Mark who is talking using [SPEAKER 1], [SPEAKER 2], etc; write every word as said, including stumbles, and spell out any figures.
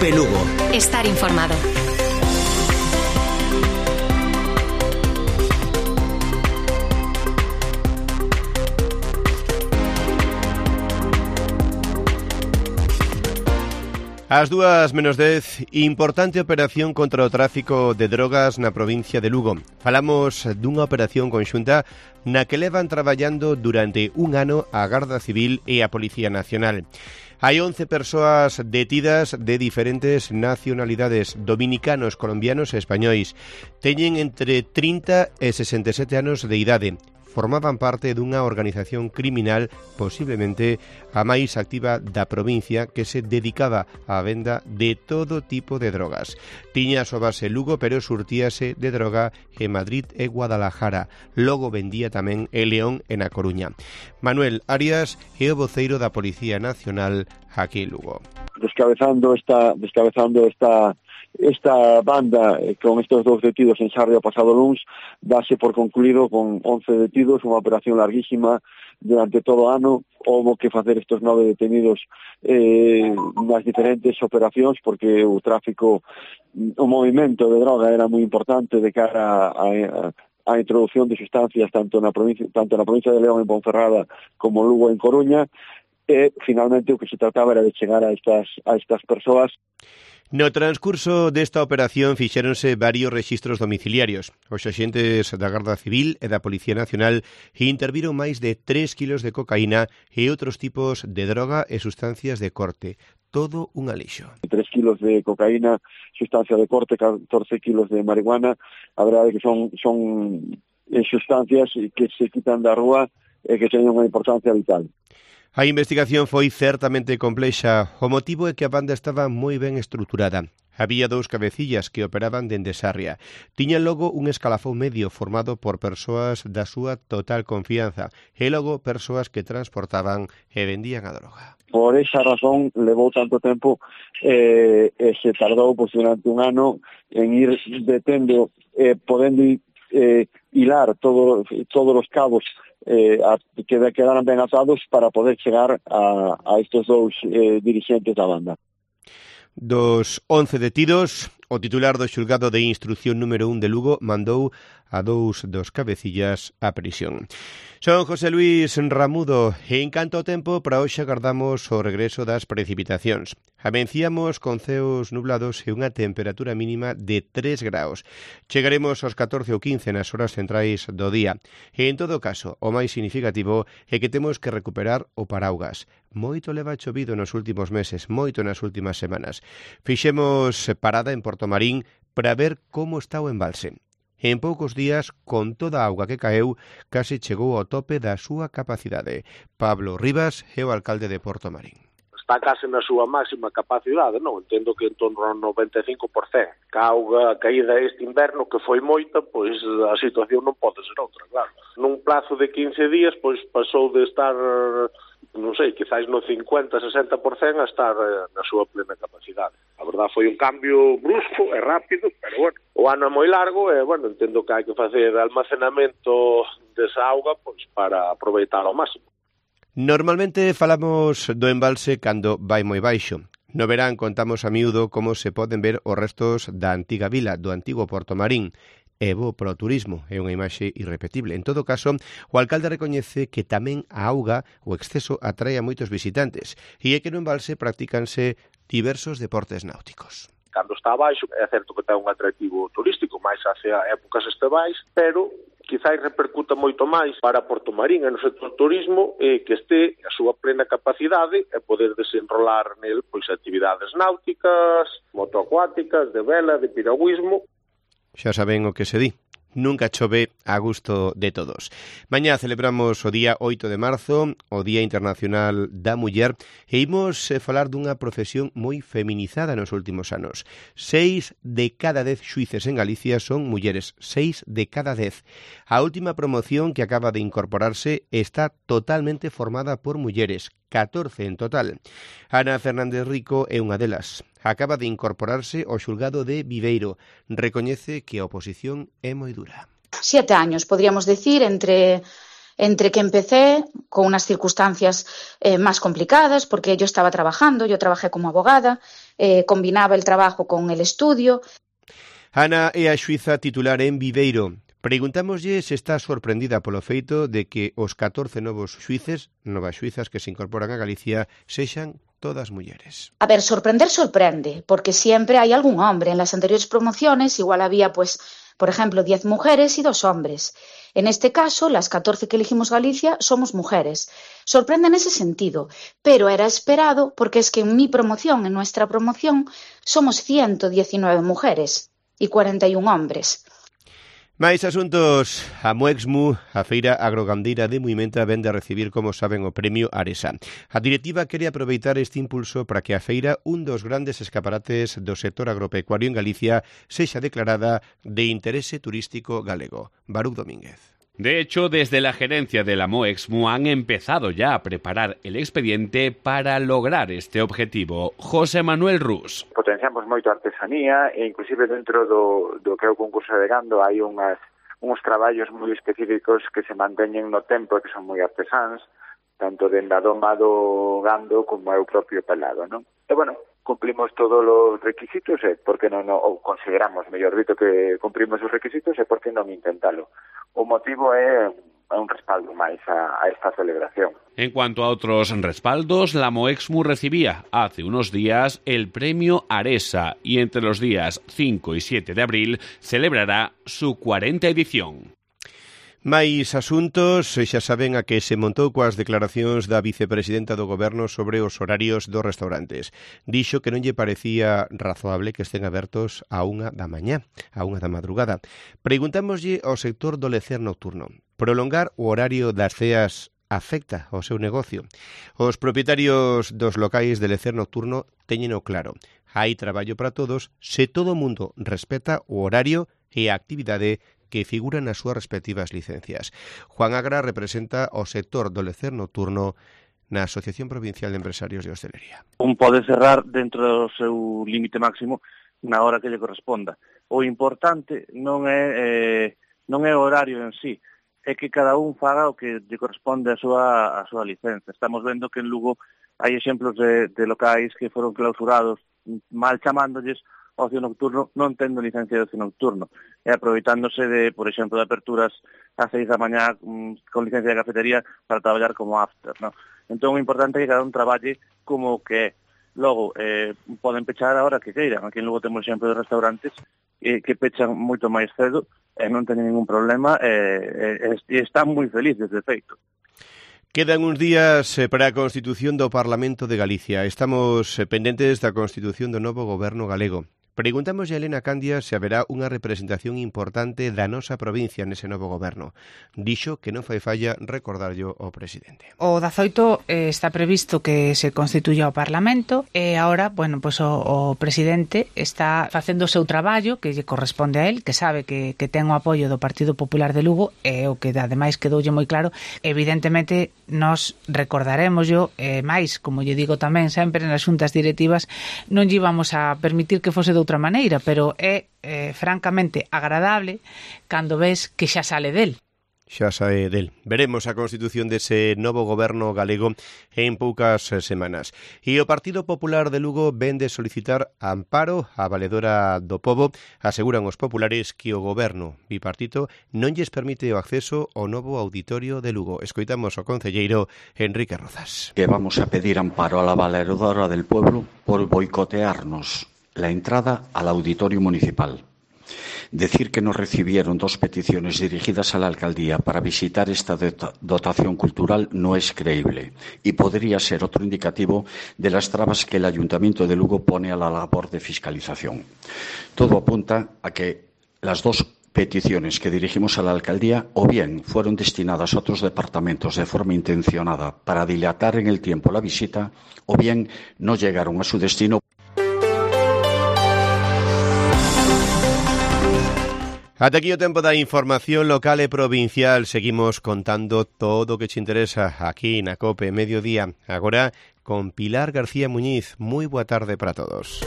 [SPEAKER 1] Cope Lugo.
[SPEAKER 2] Estar informado.
[SPEAKER 3] Ás dúas menos dez, importante operación contra o tráfico de drogas na provincia de Lugo. Falamos dunha operación conxunta na que levan traballando durante un ano a Garda Civil e a Policía Nacional. Hai once persoas detidas de diferentes nacionalidades, dominicanos, colombianos e españois. Teñen entre trinta e sesenta e sete anos de idade. Formaban parte dunha organización criminal posiblemente a máis activa da provincia que se dedicaba á venda de todo tipo de drogas. Tiña a súa base Lugo, pero surtíase de droga en Madrid e Guadalajara. Logo vendía tamén en León e na Coruña. Manuel Arias é o voceiro da Policía Nacional aquí en Lugo.
[SPEAKER 4] Descabezando esta, descabezando esta Esta banda, eh, con estos dos detidos en Sarria o pasado luns, dase por concluído con once detidos, unha operación larguísima durante todo o ano. Houbo que facer estes nove detenidos eh, nas diferentes operacións, porque o tráfico, o movimento de droga era moi importante de cara a, a a introducción de sustancias tanto na provincia, tanto na provincia de León en Ponferrada como Lugo en Coruña, e finalmente o que se trataba era de chegar a estas, a estas persoas.
[SPEAKER 3] No transcurso desta operación fixéronse varios rexistros domiciliarios. Os axentes da Garda Civil e da Policía Nacional interviron máis de tres kilos de cocaína e outros tipos de droga e sustancias de corte. Todo un alixo.
[SPEAKER 4] tres kilos de cocaína, sustancia de corte, catorce kilos de marihuana. A verdade é que son, son sustancias que se quitan da rúa e que teñen unha importancia vital.
[SPEAKER 3] A investigación foi certamente complexa. O motivo é que a banda estaba moi ben estruturada. Había dous cabecillas que operaban dende Sarria. Tiñan logo un escalafón medio formado por persoas da súa total confianza e logo persoas que transportaban e vendían a droga.
[SPEAKER 4] Por esa razón levou tanto tempo eh, e se tardou pues, durante un ano en ir detendo, eh, podendo eh, hilar todo, todos os cabos Eh, a, que quedaran ben atados para poder chegar a, a estes dous eh, dirixentes da banda.
[SPEAKER 3] Dos once detidos, o titular do xulgado de instrucción número un de Lugo mandou a dous dos cabecillas a prisión. Son José Luis Ramudo e en canto ao tempo para hoxe agardamos o regreso das precipitacións. Amenciamos con ceos nublados e unha temperatura mínima de tres graus. Chegaremos aos catorce ou quince nas horas centrais do día. E en todo caso, o máis significativo é que temos que recuperar o paraugas. Moito leva chovido nos últimos meses, moito nas últimas semanas. Fixemos parada en Portomarín para ver como está o embalse. En poucos días, con toda a auga que caeu, case chegou ao tope da súa capacidade. Pablo Rivas é o alcalde de Portomarín.
[SPEAKER 5] Está case na súa máxima capacidade, non? Entendo que en torno ao noventa e cinco por cento. Ca auga caída este inverno, que foi moita, pois a situación non pode ser outra, claro. Nun plazo de quince días, pois pasou de estar, non sei, quizás no cincuenta, sesenta por cento a estar na súa plena capacidade. A verdade foi un cambio brusco e rápido, pero bueno, o ano é moi largo e, bueno, entendo que hai que facer almacenamento desa auga pois para aproveitar ao máximo.
[SPEAKER 3] Normalmente falamos do embalse cando vai moi baixo. No verán contamos a miúdo como se poden ver os restos da antiga vila, do antigo Portomarín. É bo para o turismo, é unha imaxe irrepetible. En todo caso, o alcalde recoñece que tamén a auga, o exceso, atrae a moitos visitantes e é que no embalse practícanse diversos deportes náuticos.
[SPEAKER 5] Cando está abaixo, é certo que ten un atractivo turístico máis hacia épocas estevais, pero quizás repercuta moito máis para Portomarín e no sector turismo eh, que este a súa plena capacidade e poder desenrolar nel pois actividades náuticas, motoacuáticas, de vela, de piragüismo.
[SPEAKER 3] Xa saben o que se di. Nunca chove a gusto de todos. Mañá celebramos o día oito de marzo, o Día Internacional da Muller, e imos falar dunha profesión moi feminizada nos últimos anos. Seis de cada dez xuíces en Galicia son mulleres. Seis de cada dez. A última promoción que acaba de incorporarse está totalmente formada por mulleres. catorce en total. Ana Fernández Rico é unha delas. Acaba de incorporarse ao xulgado de Viveiro. Recoñece que a oposición é moi dura.
[SPEAKER 6] Siete años, podríamos decir, entre
[SPEAKER 1] Entre que empecé con unas circunstancias eh, más complicadas, porque yo estaba trabajando, yo trabajé como abogada, eh, combinaba el trabajo con el estudio.
[SPEAKER 3] Ana é a xuíza titular en Viveiro. Preguntámoslle se está sorprendida polo feito de que os catorce novos xuíces, novas xuízas que se incorporan a Galicia, sexan todas mulleres.
[SPEAKER 1] A ver, sorprender sorprende, porque siempre hay algún hombre. En las anteriores promociones igual había, pues, por ejemplo, diez mujeres y dos hombres. En este caso, las catorce que elegimos Galicia somos mujeres. Sorprende en ese sentido, pero era esperado porque es que en mi promoción, en nuestra promoción, somos ciento diecinueve mujeres y cuarenta y un hombres.
[SPEAKER 3] Mais asuntos, a Moexmu, a Feira Agrogandeira de Muimenta, vende a recibir, como saben, o premio Aresa. A directiva quere aproveitar este impulso para que a feira, un dos grandes escaparates do sector agropecuario en Galicia, sexa declarada de interese turístico galego. Baruch Domínguez.
[SPEAKER 2] De hecho, desde la gerencia de la Moexmu han empezado ya a preparar el expediente para lograr este objetivo. José Manuel Rus.
[SPEAKER 6] Potenciamos moito a artesanía e inclusive dentro do, do que é o concurso de gando hai unhas, uns traballos moi específicos que se manteñen no tempo e que son moi artesáns, tanto dende a doma do gando como é o propio pelado, non? E, bueno, cumplimos todos os requisitos e por que non, ou consideramos, mellor dito, que cumprimos os requisitos e por que non intentalo. O motivo é un respaldo máis a, a esta celebración.
[SPEAKER 2] En cuanto a otros respaldos, la Moexmu recibía hace unos días el premio Aresa y entre los días cinco y siete de abril celebrará su cuarenta edición.
[SPEAKER 3] Mais asuntos, xa saben a que se montou coas declaracións da vicepresidenta do Goberno sobre os horarios dos restaurantes. Dixo que non lle parecía razoable que estén abertos a unha da mañá, a unha da madrugada. Preguntámoslle ao sector do lecer nocturno. Prolongar o horario das ceas afecta ao seu negocio. Os propietarios dos locais de lecer nocturno teñeno claro. Hai traballo para todos se todo o mundo respeta o horario e a actividade que figuran nas súas respectivas licencias. Juan Agra representa o sector do lecer nocturno na Asociación Provincial de Empresarios de Hostelería.
[SPEAKER 7] Un pode cerrar dentro do seu límite máximo na hora que lle corresponda. O importante non é eh, non é o horario en sí, é que cada un faga o que lle corresponde a súa a súa licenza. Estamos vendo que en Lugo hai exemplos de, de locais que foron clausurados mal chamándoles ocio nocturno, non tendo licencia de ocio nocturno, e aproveitándose de, por exemplo, de aperturas a seis da mañá mm, con licencia de cafetería para traballar como after, ¿no? Entón, o importante é que cada un traballe como que é. Logo, eh, poden pechar a hora que queiran. Aquí en Lugo temos exemplo de restaurantes eh, que pechan moito máis cedo e non teñen ningún problema e eh, eh, están moi felices, de feito.
[SPEAKER 3] Quedan uns días para a constitución do Parlamento de Galicia. Estamos pendentes da constitución do novo goberno galego. Preguntamos a Elena Candia se haberá unha representación importante da nosa provincia nese novo goberno. Dixo que non fai falla recordarllo ao presidente.
[SPEAKER 8] O dezaoito eh, está previsto que se constituya o Parlamento e agora, bueno, pues o, o presidente está facendo o seu traballo que lle corresponde a él, que sabe que, que ten o apoio do Partido Popular de Lugo e o que ademais quedoulle moi claro. Evidentemente, nos recordaremos yo, eh, máis, como lle digo tamén sempre nas xuntas directivas, non lle íbamos a permitir que fose de outra maneira, pero é eh, francamente agradable cando ves que xa sale del.
[SPEAKER 3] Xa sae del. Veremos a constitución dese novo goberno galego en poucas semanas. E o Partido Popular de Lugo vende solicitar amparo á valedora do pobo. Aseguran os populares que o goberno bipartito non lles permite o acceso ao novo auditorio de Lugo. Escoitamos ao concelleiro Enrique Rozas.
[SPEAKER 9] Que vamos a pedir amparo a la valedora del pueblo por boicotearnos la entrada al auditorio municipal. Decir que nos recibieron dos peticiones dirigidas a la alcaldía para visitar esta dotación cultural no es creíble y podría ser otro indicativo de las trabas que el Ayuntamiento de Lugo pone a la labor de fiscalización. Todo apunta a que las dos peticiones que dirigimos a la alcaldía o bien fueron destinadas a otros departamentos de forma intencionada para dilatar en el tiempo la visita o bien no llegaron a su destino.
[SPEAKER 3] Ata aquí o tempo da información local e provincial. Seguimos contando todo o que te interesa aquí na COPE Mediodía. Agora con Pilar García Muñiz. Moi boa tarde para todos.